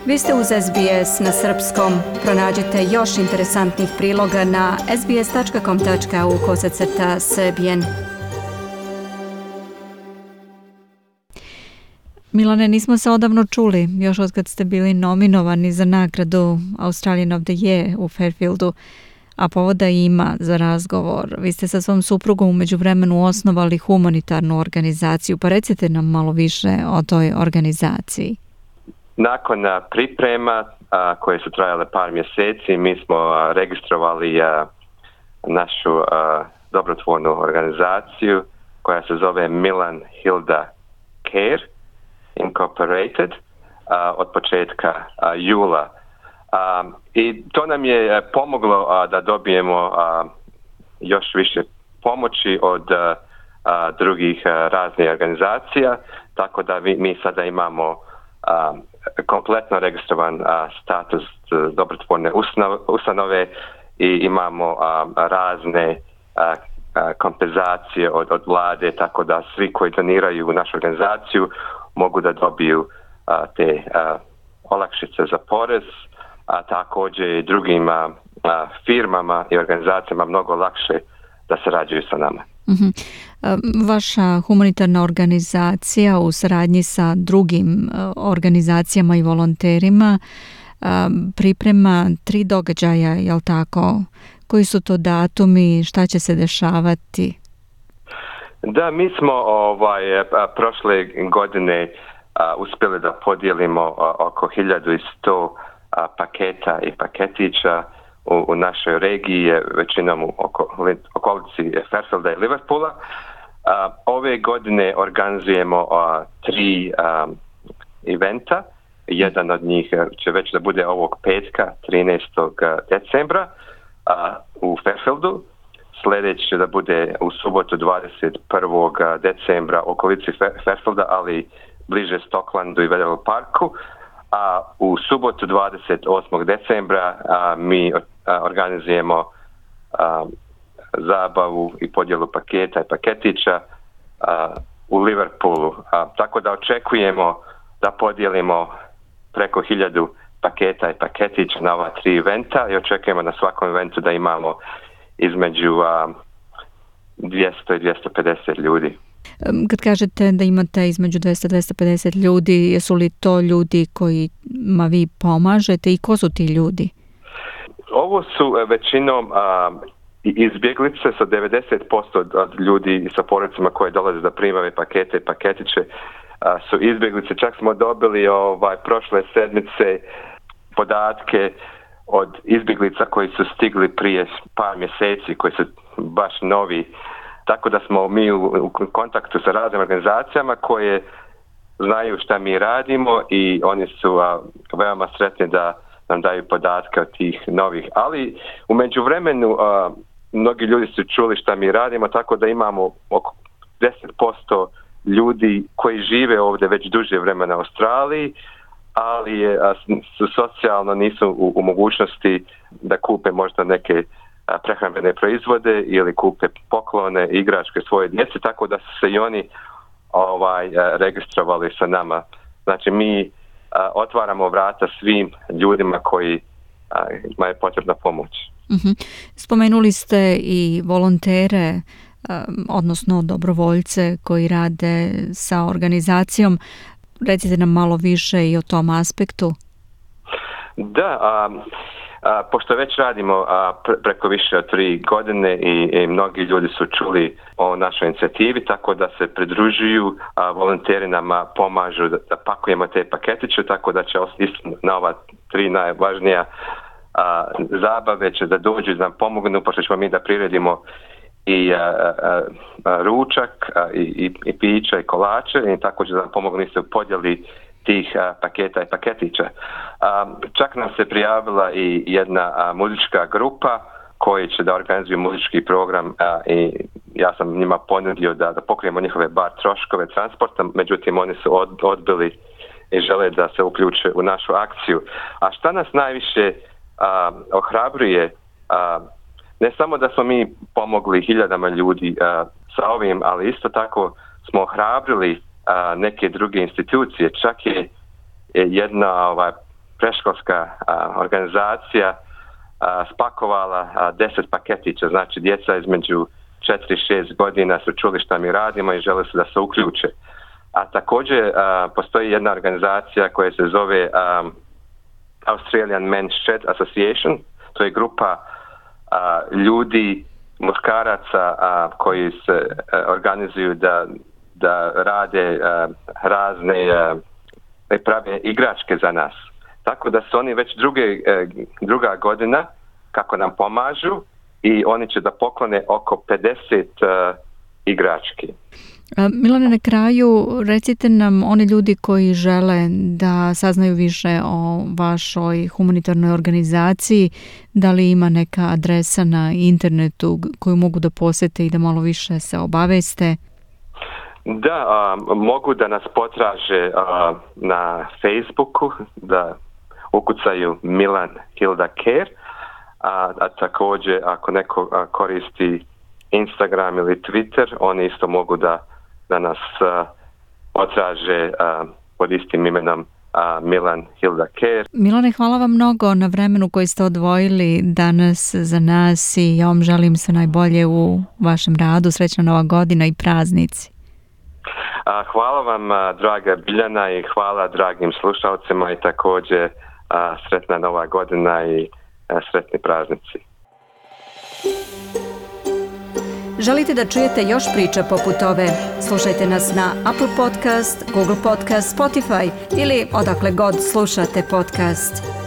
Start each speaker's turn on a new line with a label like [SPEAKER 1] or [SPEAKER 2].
[SPEAKER 1] Vi ste uz SBS na srpskom. Pronađite još interesantnih priloga na sbs.com.au/srbijen. Milane, nismo se odavno čuli, još od kad ste bili nominovani za nagradu Australian of the Year u Fairfieldu, a povoda ima za razgovor. Vi ste sa svom suprugom u međuvremenu osnovali humanitarnu organizaciju, pa recite nam malo više o toj organizaciji.
[SPEAKER 2] Nakon priprema koje su trajale par mjeseci, mi smo registrovali našu dobrotvornu organizaciju koja se zove Milan Hilda Care Incorporated od početka jula. I to nam je pomoglo da dobijemo još više pomoći od drugih raznih organizacija, tako da mi sada imamo kompletno registrovan status dobrotvorne ustanove i imamo razne kompenzacije od vlade, tako da svi koji doniraju u našu organizaciju mogu da dobiju te olakšice za porez, a također i drugim firmama i organizacijama mnogo lakše da sarađuju sa nama.
[SPEAKER 1] Mm-hmm. Vaša humanitarna organizacija u saradnji sa drugim organizacijama i volonterima priprema 3 događaja, jel tako? Koji su to datumi, šta će se dešavati?
[SPEAKER 2] Da, mi smo prošle godine uspjeli da podijelimo oko 1100 paketa i paketića u našoj regiji, većinom u okolici Fairfielda i Liverpoola. Ove godine organizujemo 3 eventa. Jedan od njih će već da bude ovog petka, 13. decembra u Fairfieldu. Sljedeći da bude u subotu 21. decembra u okolici Fairfielda, ali bliže Stocklandu i Vedel Parku. A u subotu 28. decembra mi organizujemo zabavu i podjelu paketa i paketića u Liverpoolu. Tako da očekujemo da podijelimo preko 1000 paketa i paketića na ova 3 eventa i očekujemo na svakom eventu da imamo između 200 i 250 ljudi.
[SPEAKER 1] Kad kažete da imate između 200-250 ljudi, jesu li to ljudi kojima vi pomažete i ko su ti ljudi?
[SPEAKER 2] Ovo su većinom izbjeglice, sa 90% od ljudi sa porodicama koje dolaze da primaju pakete i paketiće su izbjeglice. Čak smo dobili prošle sedmice podatke od izbjeglica koji su stigli prije par mjeseci, koji su baš novi. Tako da smo mi u kontaktu sa raznim organizacijama koje znaju šta mi radimo i oni su veoma sretni da nam daju podatke od tih novih. Ali u međuvremenu mnogi ljudi su čuli šta mi radimo, tako da imamo oko 10% ljudi koji žive ovdje već duže vremena u Australiji, ali su socijalno nisu u mogućnosti da kupe možda neke prehrambene proizvode ili kupe poklone, igračke svoje djece, tako da su se i oni registrovali sa nama. Znači mi otvaramo vrata svim ljudima koji imaju potrebna pomoć.
[SPEAKER 1] Mm-hmm. Spomenuli ste i volontere, odnosno dobrovoljce koji rade sa organizacijom. Recite nam malo više i o tom aspektu.
[SPEAKER 2] Da, pošto već radimo preko više od 3 godine i mnogi ljudi su čuli o našoj inicijativi, tako da se pridružuju, volonteri nama pomažu da pakujemo te paketiće, tako da će na ova 3 najvažnija zabave će da dođu da nam pomognu, pošto ćemo mi da priredimo i ručak i pića i kolače i tako će da nam pomognu isto u podjeli tih paketa i paketića. Čak nam se prijavila i jedna muzička grupa koji će da organizuju muzički program i ja sam njima ponudio da pokrijemo njihove bar troškove transporta, međutim oni su odbili i žele da se uključe u našu akciju. A šta nas najviše ohrabruje, ne samo da smo mi pomogli hiljadama ljudi sa ovim, ali isto tako smo ohrabrili neke druge institucije. Čak je jedna preškolska organizacija spakovala 10 paketića, znači djeca između 4 i 6 godina su čuli šta mi radimo i žele se da se uključe. A također postoji jedna organizacija koja se zove Australian Men's Shed Association. To je grupa ljudi, muškaraca koji se organizuju da rade razne prave igračke za nas. Tako da su oni već druga godina kako nam pomažu i oni će da poklone oko 50 igrački.
[SPEAKER 1] Milane, na kraju recite nam oni ljudi koji žele da saznaju više o vašoj humanitarnoj organizaciji, da li ima neka adresa na internetu koju mogu da posete i da malo više se obaveste?
[SPEAKER 2] Da, mogu da nas potraže na Facebooku, da ukucaju Milan Hilda Care, a također ako neko koristi Instagram ili Twitter, oni isto mogu da nas potraže pod istim imenom Milan Hilda Care.
[SPEAKER 1] Milane, hvala vam mnogo na vremenu koji ste odvojili danas za nas i ja vam želim sve najbolje u vašem radu. Srećna Nova godina i praznici.
[SPEAKER 2] Hvala vam, draga Biljana, i hvala dragim slušalcima i također sretna Nova godina i sretni praznici.
[SPEAKER 1] Želite da čujete još priča poput ove? Slušajte nas na Apple Podcast, Google Podcast, Spotify ili odakle god slušate podcast.